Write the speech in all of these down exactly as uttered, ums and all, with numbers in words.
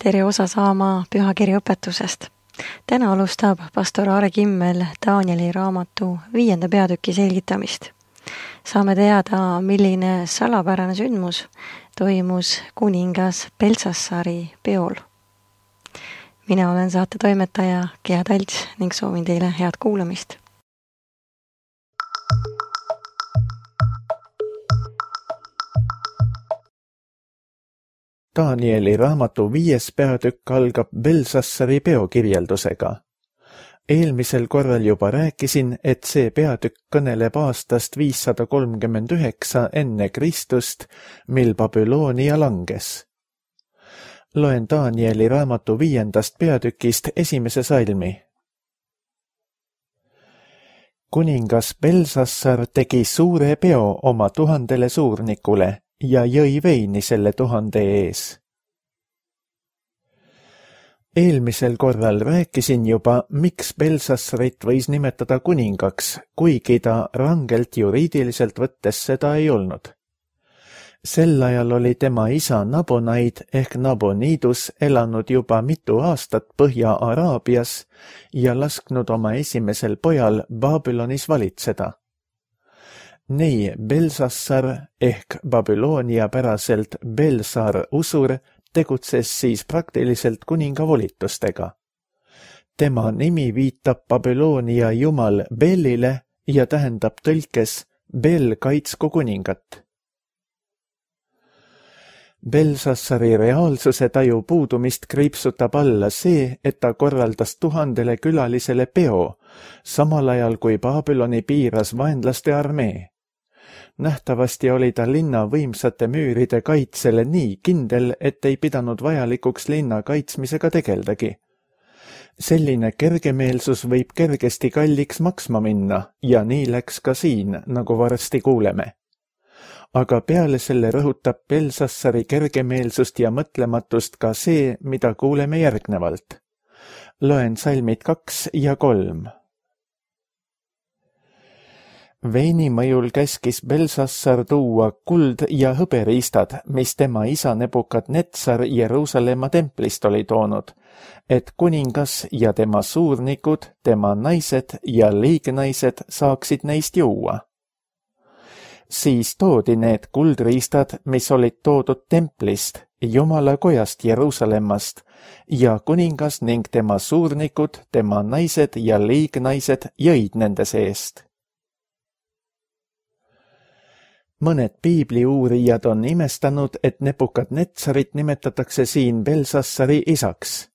Tere osa saama pühakirja õpetusest. Täna alustab pastor Aare Kimmel Danieli raamatu viienda peatüki selgitamist. Saame teada, milline salapärane sündmus toimus kuningas Belsassari peol. Mina olen saate toimetaja Gea Talts ning soovin teile head kuulamist. Danieli raamatu viies peatükk algab Belsassari peokirjeldusega. Eelmisel korral juba rääkisin, et see peatükk kõneleb aastast viissada kolmkümmend üheksa enne Kristust, mil Babyloonia langes. Loen Danieli raamatu viiendast peatükist esimese salmi. Kuningas Belsassar tegi suure peo oma tuhandele suurnikule ja jõi veini selle tuhande ees. Eelmisel korral rääkisin juba, miks Belsassarit võis nimetada kuningaks, kuigi ta rangelt juriidiliselt võttes seda ei olnud. Sel ajal oli tema isa Nabonaid ehk Nabonidus elanud juba mitu aastat Põhja-Araabias ja lasknud oma esimesel pojal Babylonis valitseda. Nii Belsassar ehk Babyloonia päraselt Belsar Usur tegutses siis praktiliselt kuninga volitustega. Tema nimi viitab Babyloonia jumal Belile ja tähendab tõlkes Bel kaitsku kuningat. Belsassari reaalsuse taju puudumist kriipsutab alla see, et ta korraldas tuhandele külalisele peo, samal ajal kui Babyloni piiras vaenlaste armee. Nähtavasti oli ta linna võimsate müüride kaitsele nii kindel, et ei pidanud vajalikuks linna kaitsmisega tegeldagi. Selline kergemeelsus võib kergesti kalliks maksma minna ja nii läks ka siin, nagu varsti kuuleme. Aga peale selle rõhutab Belsassari kergemeelsust ja mõtlematust ka see, mida kuuleme järgnevalt. Loen salmid kaks ja kolm. Veini mõjul käskis Belsassar tuua kuld- ja hõberiistad, mis tema isa Nebukadnetsar Jeruusalemma templist oli toonud, et kuningas ja tema suurnikud, tema naised ja liignaised saaksid neist juua. Siis toodi need kuldriistad, mis olid toodud templist, Jumala kojast Jeruusalemmast, ja kuningas ning tema suurnikud, tema naised ja liignaised jõid nende seest. Mõned piibliuurijad on imestanud, et Nebukadnetsarit nimetatakse siin Belsassari isaks.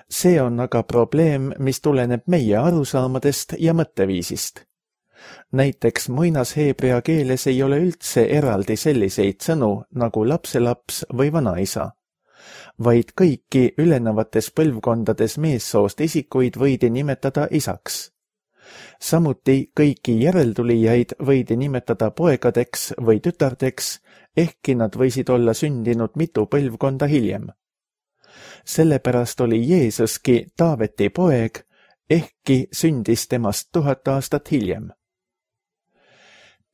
See on aga probleem, mis tuleneb meie arusaamadest ja mõtteviisist. Näiteks muinasheebrea keeles ei ole üldse eraldi selliseid sõnu nagu lapselaps või vanaisa, vaid kõiki ülenevates põlvkondades meessoost isikuid võidi nimetada isaks. Samuti kõiki järeltulijaid võidi nimetada poegadeks või tütardeks, ehkki nad võisid olla sündinud mitu põlvkonda hiljem. Sellepärast oli Jeesuski Taaveti poeg, ehkki sündis temast tuhat aastat hiljem.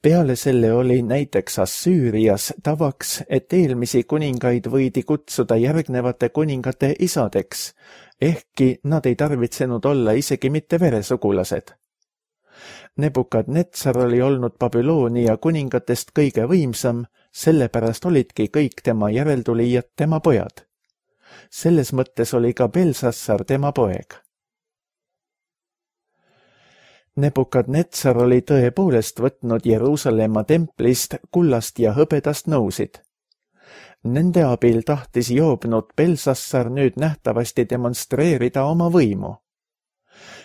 Peale selle oli näiteks Assüürias tavaks, et eelmisi kuningaid võidi kutsuda järgnevate kuningate isadeks, ehkki nad ei tarvitsenud olla isegi mitte veresugulased. Nebukadnetsar oli olnud Babyloonia kuningatest kõige võimsam, sellepärast olidki kõik tema järeltulijad tema pojad. Selles mõttes oli ka Belsassar tema poeg. Nebukadnetsar oli tõepoolest võtnud Jeruusalemma templist kullast ja hõbedast nõusid. Nende abil tahtis joobnud Belsassar nüüd nähtavasti demonstreerida oma võimu.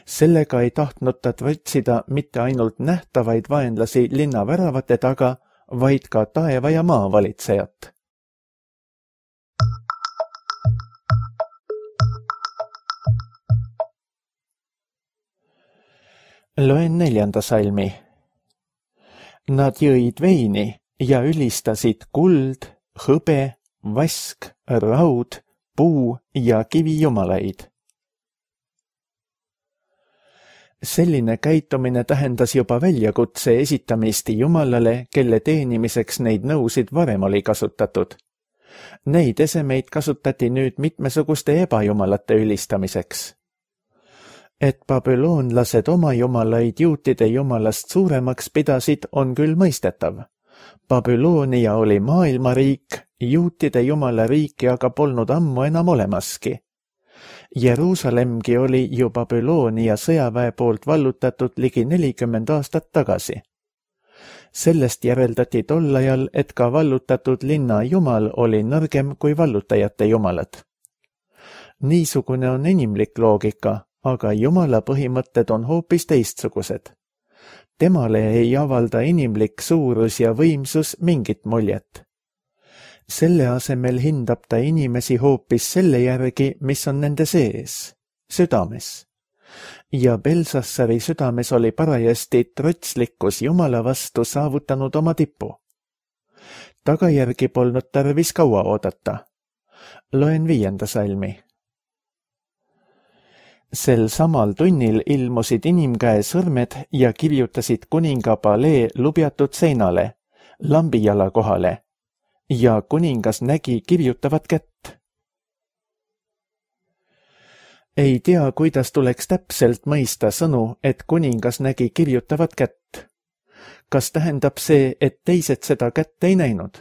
Sellega ei tahtnud ta võtsida mitte ainult nähtavaid vaenlasi linna väravate taga, vaid ka taeva ja maa valitsejat. Loen neljanda salmi. Nad jõid veini ja ülistasid kuld, hõbe, vask, raud, puu ja kivijumalaid. Selline käitumine tähendas juba väljakutse esitamist Jumalale, kelle teenimiseks neid nõusid varem oli kasutatud. Neid esemeid kasutati nüüd mitmesuguste ebajumalate ülistamiseks. Et babüloonlased oma jumalaid juutide jumalast suuremaks pidasid, on küll mõistetav. Babyloonia oli maailmariik, juutide jumala riiki aga polnud ammu enam olemaski. Jeruusalemgi oli ju Babyloonia sõjaväe poolt vallutatud ligi nelikümmend aastat tagasi. Sellest järeldati tol ajal, et ka vallutatud linna jumal oli nõrgem kui vallutajate jumalad. Niisugune on inimlik loogika, aga jumala põhimõtted on hoopis teistsugused. Temale ei avalda inimlik suurus ja võimsus mingit muljet. Selle asemel hindab ta inimesi hoopis selle järgi, mis on nende sees, südames. Ja Belsassari südames oli parajasti trotslikkus jumala vastu saavutanud oma tipu. Tagajärgi polnud tarvis kaua oodata. Loen viienda salmi. Sel samal tunnil ilmusid inimkäe sõrmed ja kirjutasid kuninga palee lubjatud seinale, lambijala kohale, ja kuningas nägi kirjutavat kätt. Ei tea, kuidas tuleks täpselt mõista sõnu, et kuningas nägi kirjutavat kätt. Kas tähendab see, et teised seda kätt ei näinud?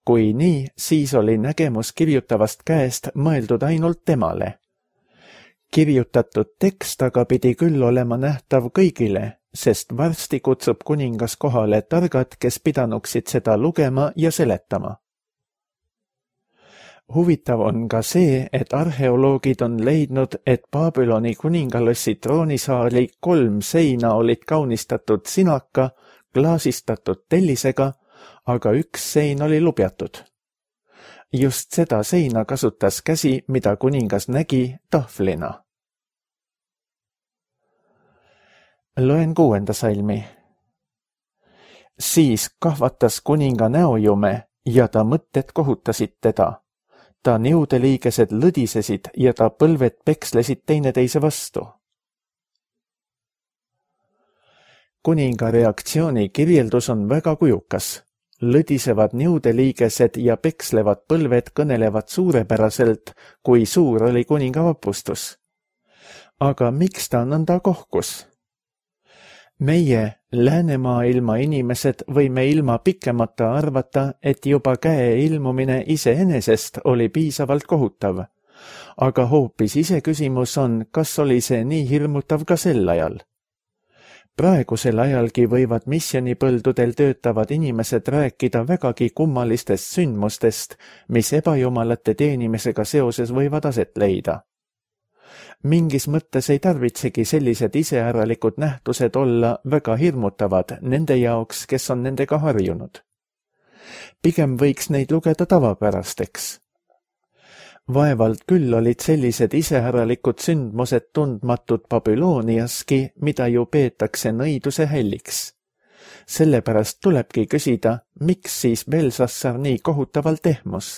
Kui nii, siis oli nägemus kirjutavast käest mõeldud ainult temale. Kirjutatud tekst aga pidi küll olema nähtav kõigile, sest varsti kutsub kuningas kohale targad, kes pidanuksid seda lugema ja seletama. Huvitav on ka see, et arheoloogid on leidnud, et Babyloni kuningalossi troonisaali kolm seina olid kaunistatud sinaka, klaasistatud tellisega, aga üks sein oli lubjatud. Just seda seina kasutas käsi, mida kuningas nägi, tahvlina. Loen kuuenda salmi. Siis kahvatas kuninga näojume ja ta mõtted kohutasid teda. Ta niudeliigesed lõdisesid ja ta põlved pekslesid teineteise vastu. Kuninga reaktsiooni kirjeldus on väga kujukas. Lõdisevad niudeliigesed ja pekslevad põlved kõnelevad suurepäraselt, kui suur oli kuninga vapustus. Aga miks ta nõnda kohkus? Meie, läänemaailma inimesed, võime ilma pikemata arvata, et juba käe ilmumine iseenesest oli piisavalt kohutav. Aga hoopis iseküsimus on, kas oli see nii hirmutav ka sel ajal. Praegusel ajalgi võivad missionipõldudel töötavad inimesed rääkida vägagi kummalistest sündmustest, mis ebajumalate teenimisega seoses võivad aset leida. Mingis mõttes ei tarvitsegi sellised iseäralikud nähtused olla väga hirmutavad nende jaoks, kes on nendega harjunud. Pigem võiks neid lugeda tavapärasteks. Vaevalt küll olid sellised iseäralikud sündmused tundmatud Babyloniaski, mida ju peetakse nõiduse hälliks. Sellepärast tulebki küsida, miks siis Belsassar nii kohutavalt ehmus?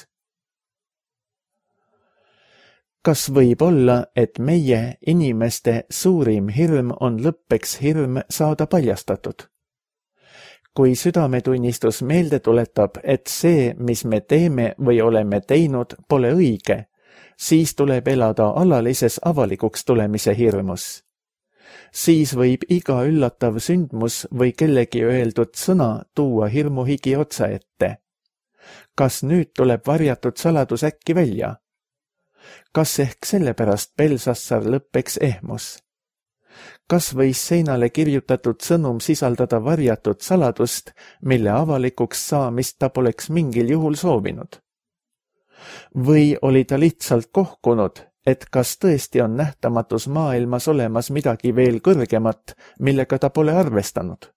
Kas võib olla, et meie inimeste suurim hirm on lõppeks hirm saada paljastatud? Kui südametunnistus meelde tuletab, et see, mis me teeme või oleme teinud, pole õige, siis tuleb elada alalises avalikuks tulemise hirmus. Siis võib iga üllatav sündmus või kellegi öeldud sõna tuua hirmuhigi otsa ette. Kas nüüd tuleb varjatud saladus äkki välja? Kas ehk sellepärast Belsassar lõppeks ehmus? Kas võis seinale kirjutatud sõnum sisaldada varjatud saladust, mille avalikuks saamist ta poleks mingil juhul soovinud? Või oli ta lihtsalt kohkunud, et kas tõesti on nähtamatus maailmas olemas midagi veel kõrgemat, millega ta pole arvestanud?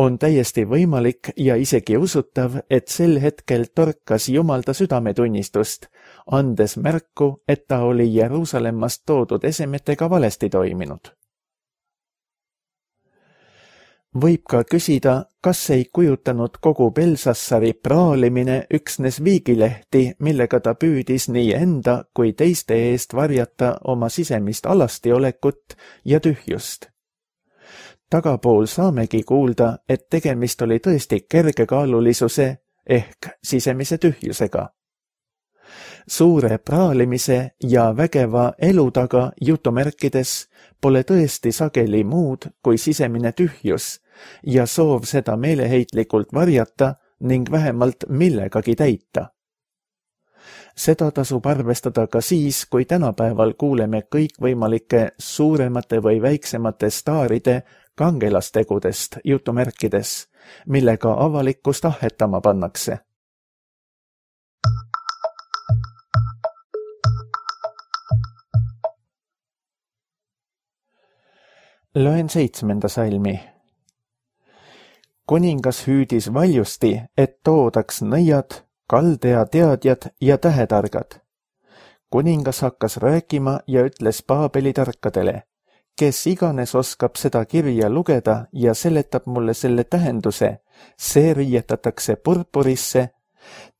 On täiesti võimalik ja isegi usutav, et sel hetkel torkas Jumal ta südametunnistust, andes märku, et ta oli Jeruusalemmast toodud esemetega valesti toiminud. Võib ka küsida, kas ei kujutanud kogu Belsassari praalimine üksnes viigilehti, millega ta püüdis nii enda kui teiste eest varjata oma sisemist alastiolekut ja tühjust. Tagapool saamegi kuulda, et tegemist oli tõesti kergekaalulisuse, ehk sisemise tühjusega. Suure praalimise ja vägeva elu taga jutumärkides pole tõesti sageli muud kui sisemine tühjus ja soov seda meeleheitlikult varjata ning vähemalt millegagi täita. Seda tasub arvestada ka siis, kui tänapäeval kuuleme kõikvõimalike suuremate või väiksemate staaride kangelastegudest jutumärkides, millega avalikkust ahetama pannakse. Loen seitsmenda salmi. Kuningas hüüdis valjusti, et toodaks nõiad, kaldea teadjad ja tähetargad. Kuningas hakkas rääkima ja ütles Paabeli tarkadele, kes iganes oskab seda kirja lugeda ja seletab mulle selle tähenduse, see riietatakse purpurisse,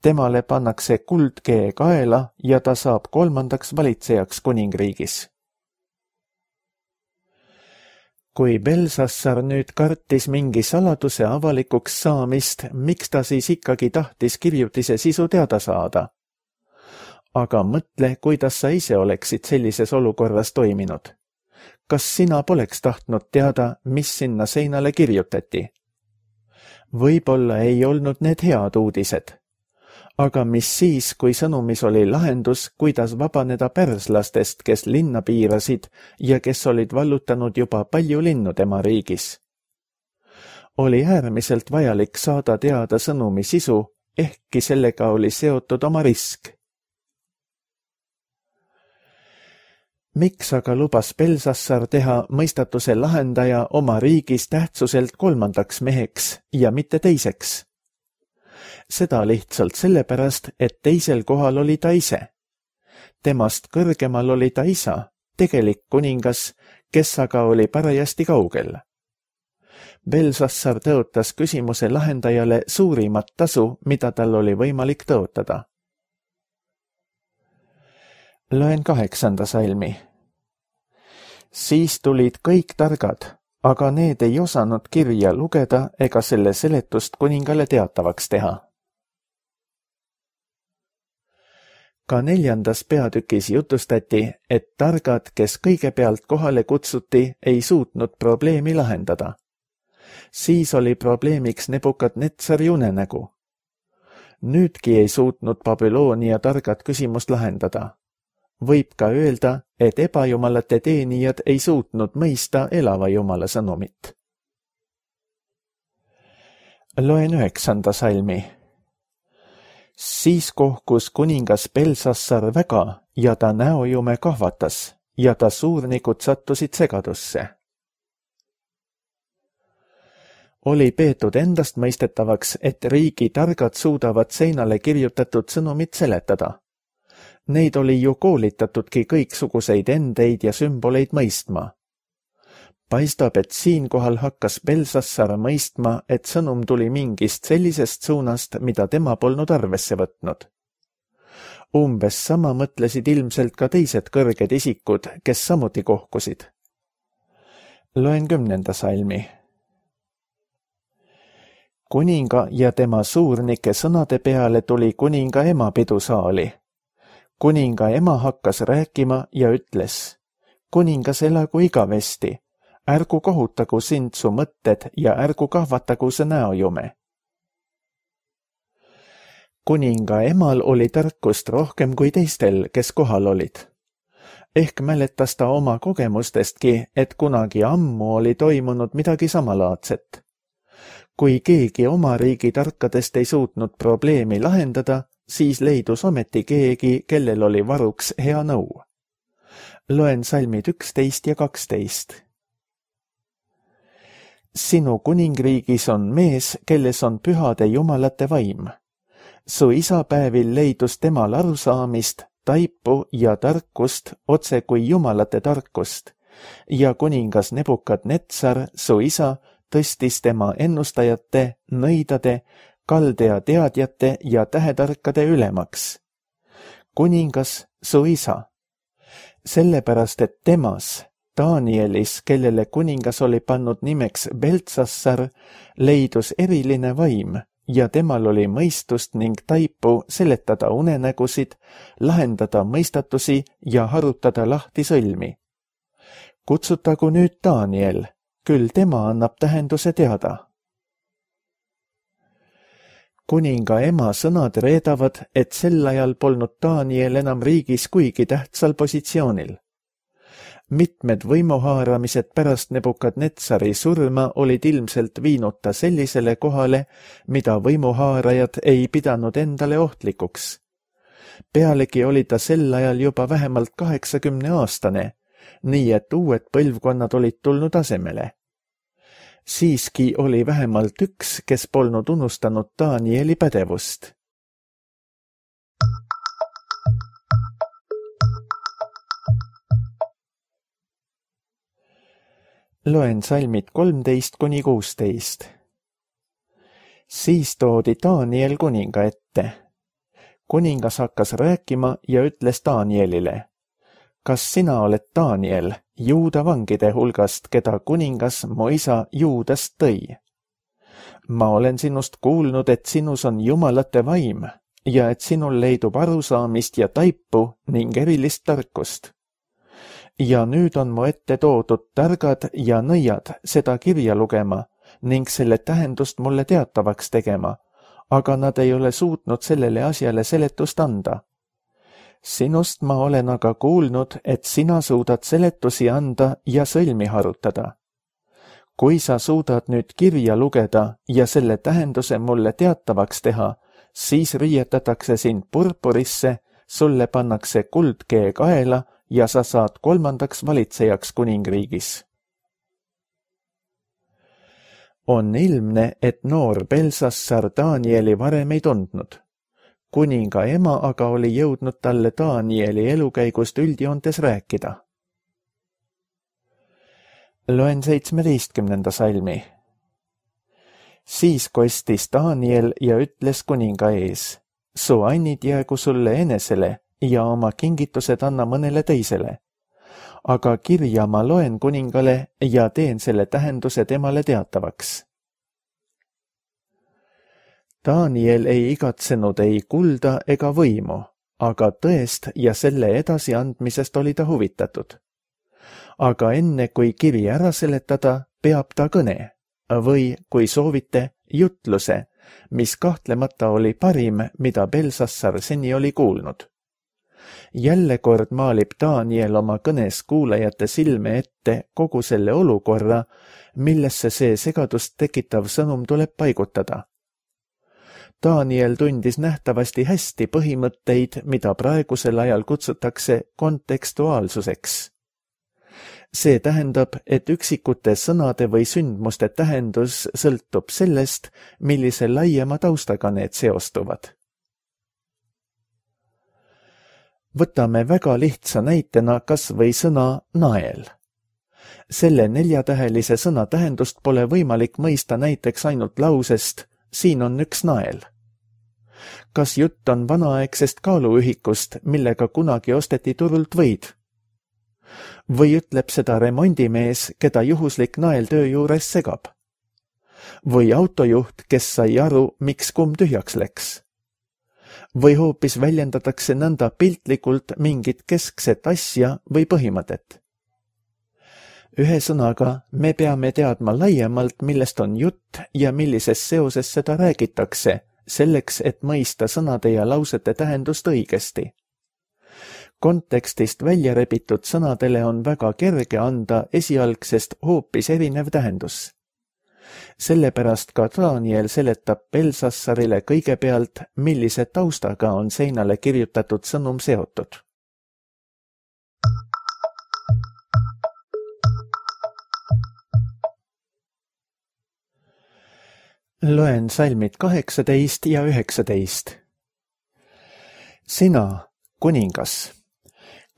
temale pannakse kuldkee kaela ja ta saab kolmandaks valitsejaks kuningriigis. Kui Belsassar nüüd kartis mingi saladuse avalikuks saamist, miks ta siis ikkagi tahtis kirjutise sisu teada saada? Aga mõtle, kuidas sa ise oleksid sellises olukorras toiminud. Kas sina poleks tahtnud teada, mis sinna seinale kirjutati? Võib-olla ei olnud need head uudised. Aga mis siis, kui sõnumis oli lahendus, kuidas vabaneda pärslastest, kes linna piirasid ja kes olid vallutanud juba palju linnu tema riigis? Oli äärmiselt vajalik saada teada sõnumi sisu, ehkki sellega oli seotud oma risk. Miks aga lubas Belsassar teha mõistatuse lahendaja oma riigis tähtsuselt kolmandaks meheks ja mitte teiseks? Seda lihtsalt sellepärast, et teisel kohal oli ta ise. Temast kõrgemal oli ta isa, tegelik kuningas, kes aga oli parajasti kaugel. Belsassar tõotas küsimuse lahendajale suurimat tasu, mida tal oli võimalik tõotada. Loen kaheksanda salmi. Siis tulid kõik targad, aga need ei osanud kirja lugeda ega selle seletust kuningale teatavaks teha. Ka neljandas peatükis jutustati, et targad, kes kõigepealt kohale kutsuti, ei suutnud probleemi lahendada. Siis oli probleemiks Nebukadnetsari unenägu. Nüüdki ei suutnud Babyloonia targad küsimust lahendada. Võib ka öelda, et ebajumalate teenijad ei suutnud mõista elava jumala sõnumit. Loen üheksanda salmi. Siis kohkus kuningas Belsassar väga ja ta näojume kahvatas ja ta suurnikud sattusid segadusse. Oli peetud endast mõistetavaks, et riigi targad suudavad seinale kirjutatud sõnumit seletada. Neid oli ju koolitatudki kõiksuguseid endeid ja sümboleid mõistma. Paistab, et siinkohal hakkas Belsassar mõistma, et sõnum tuli mingist sellisest suunast, mida tema polnud arvesse võtnud. Umbes sama mõtlesid ilmselt ka teised kõrged isikud, kes samuti kohkusid. Loen kümnenda salmi. Kuninga ja tema suurnike sõnade peale tuli kuninga ema pidusaali. Kuninga ema hakkas rääkima ja ütles, kuningas elagu igavesti, ärgu kohutagu sind su mõtted ja ärgu kahvatagu see näojume. Kuninga emal oli tarkust rohkem kui teistel, kes kohal olid. Ehk mäletas ta oma kogemustestki, et kunagi ammu oli toimunud midagi samalaadset. Kui keegi oma riigi tarkadest ei suutnud probleemi lahendada, siis leidus ometi keegi, kellel oli varuks hea nõu. Loen salmid üksteist ja kaksteist. Sinu kuningriigis on mees, kelles on pühade jumalate vaim. Su isapäevil leidus temal arusaamist, taipu ja tarkust otse kui jumalate tarkust ja kuningas Nebukadnetsar, su isa, tõstis tema ennustajate, nõidade, kaldea teadjate ja tähetarkade ülemaks. Kuningas, su isa. Sellepärast, et temas, Danielis, kellele kuningas oli pannud nimeks Beltsassar, leidus eriline vaim ja temal oli mõistust ning taipu seletada unenägusid, lahendada mõistatusi ja harutada lahti sõlmi. Kutsutagu nüüd Daniel, küll tema annab tähenduse teada. Kuninga ema sõnad reedavad, et sel ajal polnud Daniel enam riigis kuigi tähtsal positsioonil. Mitmed võimuhaaramised pärast Nebukadnetsari surma olid ilmselt viinud ta sellisele kohale, mida võimuhaarajad ei pidanud endale ohtlikuks. Pealegi oli ta sel ajal juba vähemalt kaheksakümne aastane, nii et uued põlvkonnad olid tulnud asemele. Siiski oli vähemalt üks, kes polnud unustanud Danieli pädevust. Loen salmid kolmteist kuni kuusteist. Siis toodi Daniel kuninga ette. Kuningas hakkas rääkima ja ütles Danielile: kas sina oled Daniel, Juuda vangide hulgast, keda kuningas mu isa Juudast tõi? Ma olen sinust kuulnud, et sinus on jumalate vaim ja et sinul leidub arusaamist ja taipu ning erilist tarkust. Ja nüüd on mu ette toodud targad ja nõiad seda kirja lugema ning selle tähendust mulle teatavaks tegema, aga nad ei ole suutnud sellele asjale seletust anda. Sinust ma olen aga kuulnud, et sina suudad seletusi anda ja sõlmi harutada. Kui sa suudad nüüd kirja lugeda ja selle tähenduse mulle teatavaks teha, siis riietatakse sind purpurisse, sulle pannakse kuldkee kaela ja sa saad kolmandaks valitsejaks kuningriigis. On ilmne, et noor Belsassar Danieli varem ei tundnud. Kuninga ema aga oli jõudnud talle Danieli elukäigust üldjoontes rääkida. Loen seitsmeteistkümnenda salmi. Siis kostis Daniel ja ütles kuninga ees: su annid jäägu sulle enesele ja oma kingitused anna mõnele teisele. Aga kirja ma loen kuningale ja teen selle tähenduse temale teatavaks. Daniel ei igatsenud ei kulda ega võimu, aga tõest ja selle edasiandmisest oli ta huvitatud. Aga enne kui kiri ära seletada, peab ta kõne või, kui soovite, jutluse, mis kahtlemata oli parim, mida Belsassar seni oli kuulnud. Jälle kord maalib Daniel oma kõnes kuulajate silme ette kogu selle olukorra, millesse see segadust tekitav sõnum tuleb paigutada. Daniel tundis nähtavasti hästi põhimõtteid, mida praegusel ajal kutsutakse kontekstuaalsuseks. See tähendab, et üksikute sõnade või sündmuste tähendus sõltub sellest, millise laiema taustaga need seostuvad. Võtame väga lihtsa näitena kas või sõna nael. Selle neljatähelise sõna tähendust pole võimalik mõista näiteks ainult lausest siin on üks nael. Kas jutt on vanaaegsest kaaluühikust, millega kunagi osteti turult võid? Või ütleb seda remondimees, keda juhuslik nael töö juures segab? Või autojuht, kes sai aru, miks kumm tühjaks läks? Või hoopis väljendatakse nõnda piltlikult mingit keskset asja või põhimõtet? Ühesõnaga, me peame teadma laiemalt, millest on jutt ja millises seoses seda räägitakse, selleks, et mõista sõnade ja lausete tähendust õigesti. Kontekstist välja rebitud sõnadele on väga kerge anda esialgsest hoopis erinev tähendus. Sellepärast ka Daniel seletab Belsassarile kõigepealt, millise taustaga on seinale kirjutatud sõnum seotud. Loen salmid kaheksateist ja üheksateist. Sina, kuningas,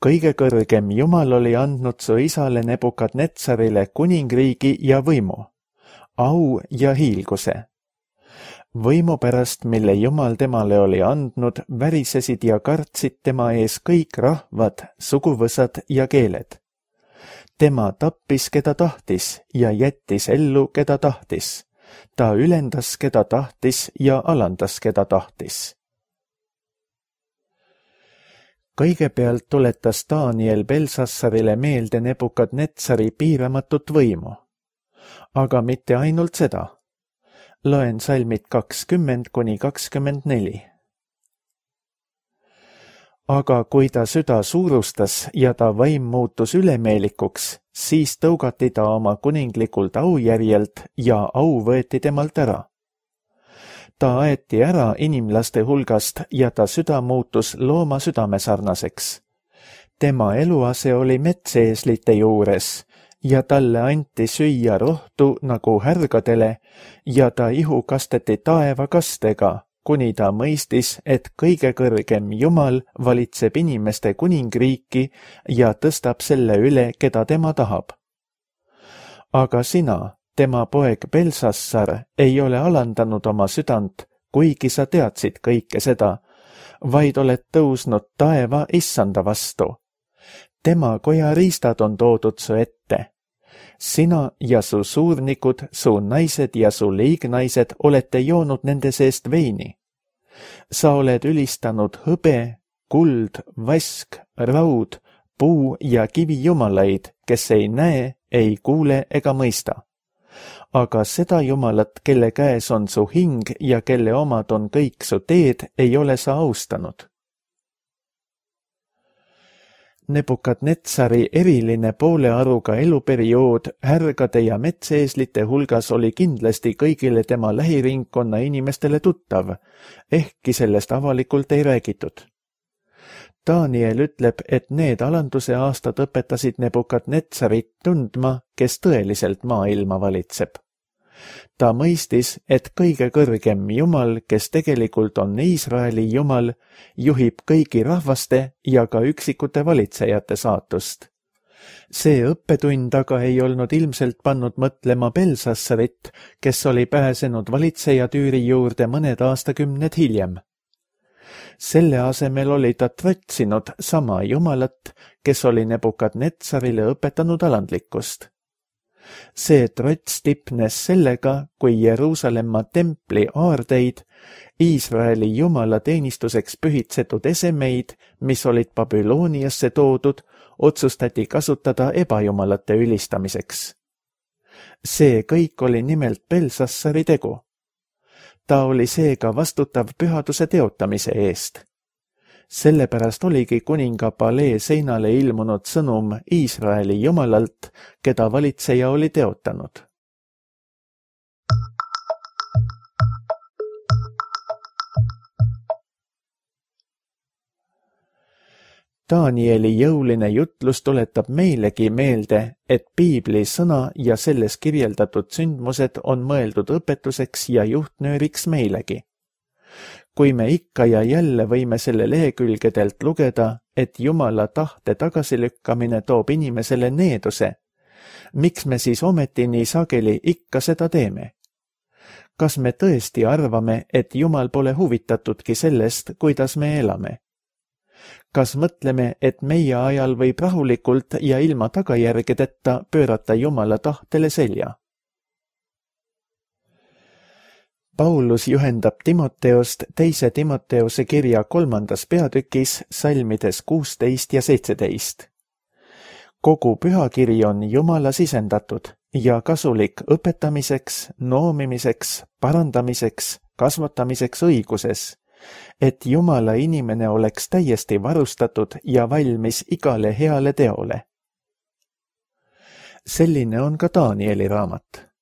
kõige kõrgem Jumal oli andnud su isale Nebukadnetsarile kuningriigi ja võimu, au ja hiilguse. Võimu pärast, mille Jumal temale oli andnud, värisesid ja kartsid tema ees kõik rahvad, suguvõsad ja keeled. Tema tappis, keda tahtis ja jättis ellu, keda tahtis. Ta ülendas, keda tahtis ja alandas, keda tahtis. Kõigepealt tuletas Daniel Belsassarile meelde Nebukadnetsari piiramatut võimu. Aga mitte ainult seda. Loen salmid kakskümmend kuni kakskümmend neli. Aga kui ta süda suurustas ja ta vaim muutus ülemeelikuks, siis tõugati ta oma kuninglikult aujärjelt ja au võeti temalt ära. Ta aeti ära inimlaste hulgast ja ta süda muutus looma südamesarnaseks. Tema eluase oli metseeslite juures ja talle anti süüa rohtu nagu härgadele ja ta ihu kasteti taevakastega, kuni ta mõistis, et kõige kõrgem Jumal valitseb inimeste kuningriiki ja tõstab selle üle, keda tema tahab. Aga sina, tema poeg Belsassar, ei ole alandanud oma südant, kuigi sa teadsid kõike seda, vaid oled tõusnud taeva issanda vastu. Tema koja riistad on toodud su ette. Sina ja su suurnikud, su naised ja su liignaised olete joonud nende seest veini. Sa oled ülistanud hõbe, kuld, vask, raud, puu ja kivi jumalaid, kes ei näe, ei kuule ega mõista. Aga seda Jumalat, kelle käes on su hing ja kelle omad on kõik su teed, ei ole sa austanud. Nebukadnetsari eriline poolearuga eluperiood härgade ja metseeslite hulgas oli kindlasti kõigile tema lähiringkonna inimestele tuttav, ehkki sellest avalikult ei räägitud. Daniel ütleb, et need alanduse aastad õpetasid Nebukadnetsarit tundma, kes tõeliselt maailma valitseb. Ta mõistis, et kõige kõrgem Jumal, kes tegelikult on Iisraeli Jumal, juhib kõigi rahvaste ja ka üksikute valitsejate saatust. See õppetund aga ei olnud ilmselt pannud mõtlema Belsassarit, kes oli pääsenud valitsejatüüri juurde mõned aastakümned hiljem. Selle asemel oli ta trotsinud sama Jumalat, kes oli Nebukadnetsarile õpetanud alandlikkust. See trots tipnes sellega, kui Jeruusalemma templi aardeid, Iisraeli Jumala teenistuseks pühitsetud esemeid, mis olid Babyloniasse toodud, otsustati kasutada ebajumalate ülistamiseks. See kõik oli nimelt Belsassari tegu. Ta oli seega vastutav pühaduse teotamise eest. Sellepärast oligi kuninga palee seinale ilmunud sõnum Iisraeli Jumalalt, keda valitseja oli teotanud. Danieli jõuline jutlus tuletab meilegi meelde, et piibli sõna ja selles kirjeldatud sündmused on mõeldud õpetuseks ja juhtnööriks meilegi. Kui me ikka ja jälle võime selle lehekülgedelt lugeda, et Jumala tahte tagasilükkamine toob inimesele needuse, miks me siis ometi nii sageli ikka seda teeme? Kas me tõesti arvame, et Jumal pole huvitatudki sellest, kuidas me elame? Kas mõtleme, et meie ajal võib rahulikult ja ilma tagajärgedeta pöörata Jumala tahtele selja? Paulus juhendab Timoteost teise Timoteose kirja kolmandas peatükis salmides kuusteist ja seitseteist. Kogu pühakiri on Jumala sisendatud ja kasulik õpetamiseks, noomimiseks, parandamiseks, kasvatamiseks õiguses, et Jumala inimene oleks täiesti varustatud ja valmis igale heale teole. Selline on ka Danieli raamat.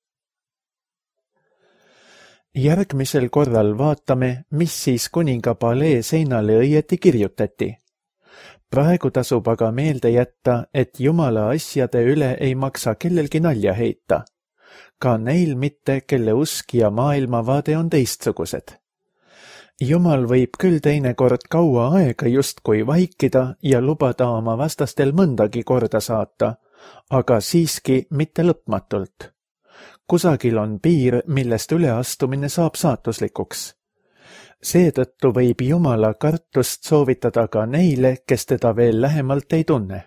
Järgmisel korral vaatame, mis siis kuninga palee seinale õieti kirjutati. Praegu tasub aga meelde jätta, et Jumala asjade üle ei maksa kellelgi nalja heita. Ka neil mitte, kelle usk ja maailmavaade on teistsugused. Jumal võib küll teinekord kaua aega justkui vaikida ja lubada oma vastastel mõndagi korda saata, aga siiski mitte lõpmatult. Kusagil on piir, millest üleastumine saab saatuslikuks. Seetõttu võib Jumala kartust soovitada ka neile, kes teda veel lähemalt ei tunne.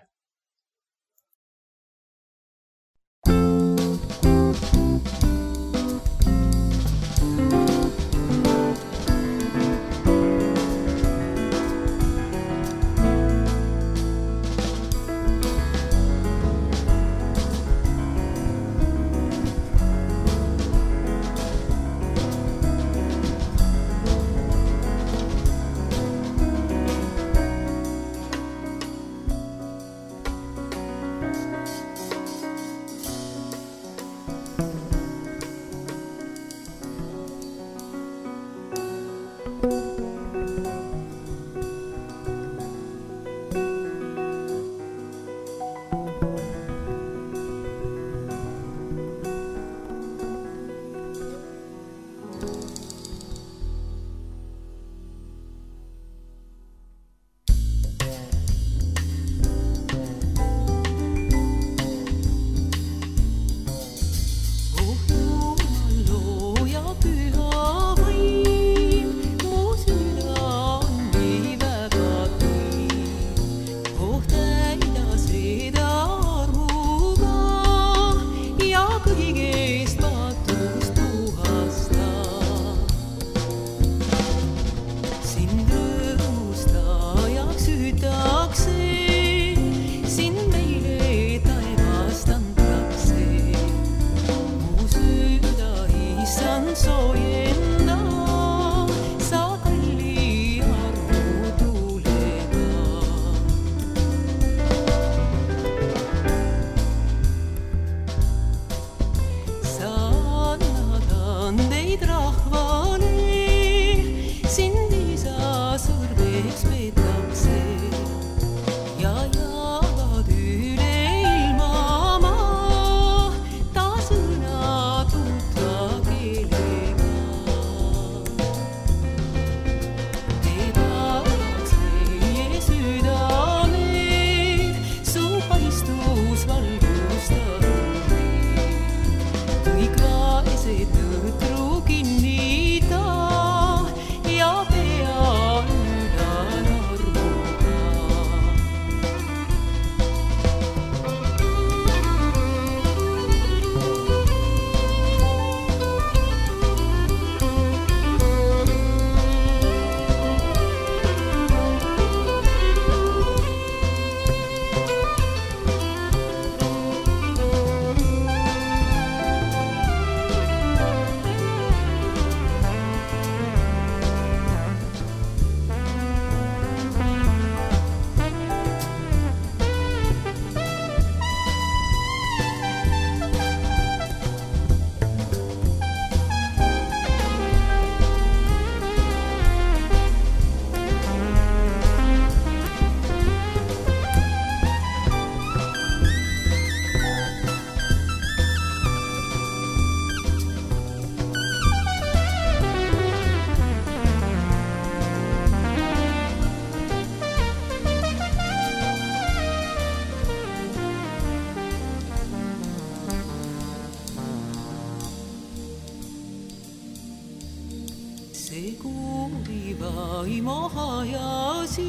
kuuliva imahajasid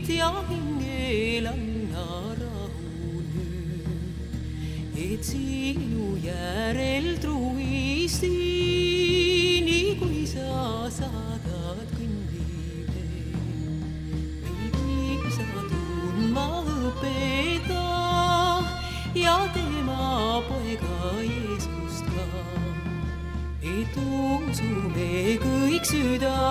ja hingel anna rahu nüüd, et sinu järel truisti, nii kui sa saadad kõndile. Veidi sa tundma õpeta ja tema poega Jeesust ka, et usume kõik süda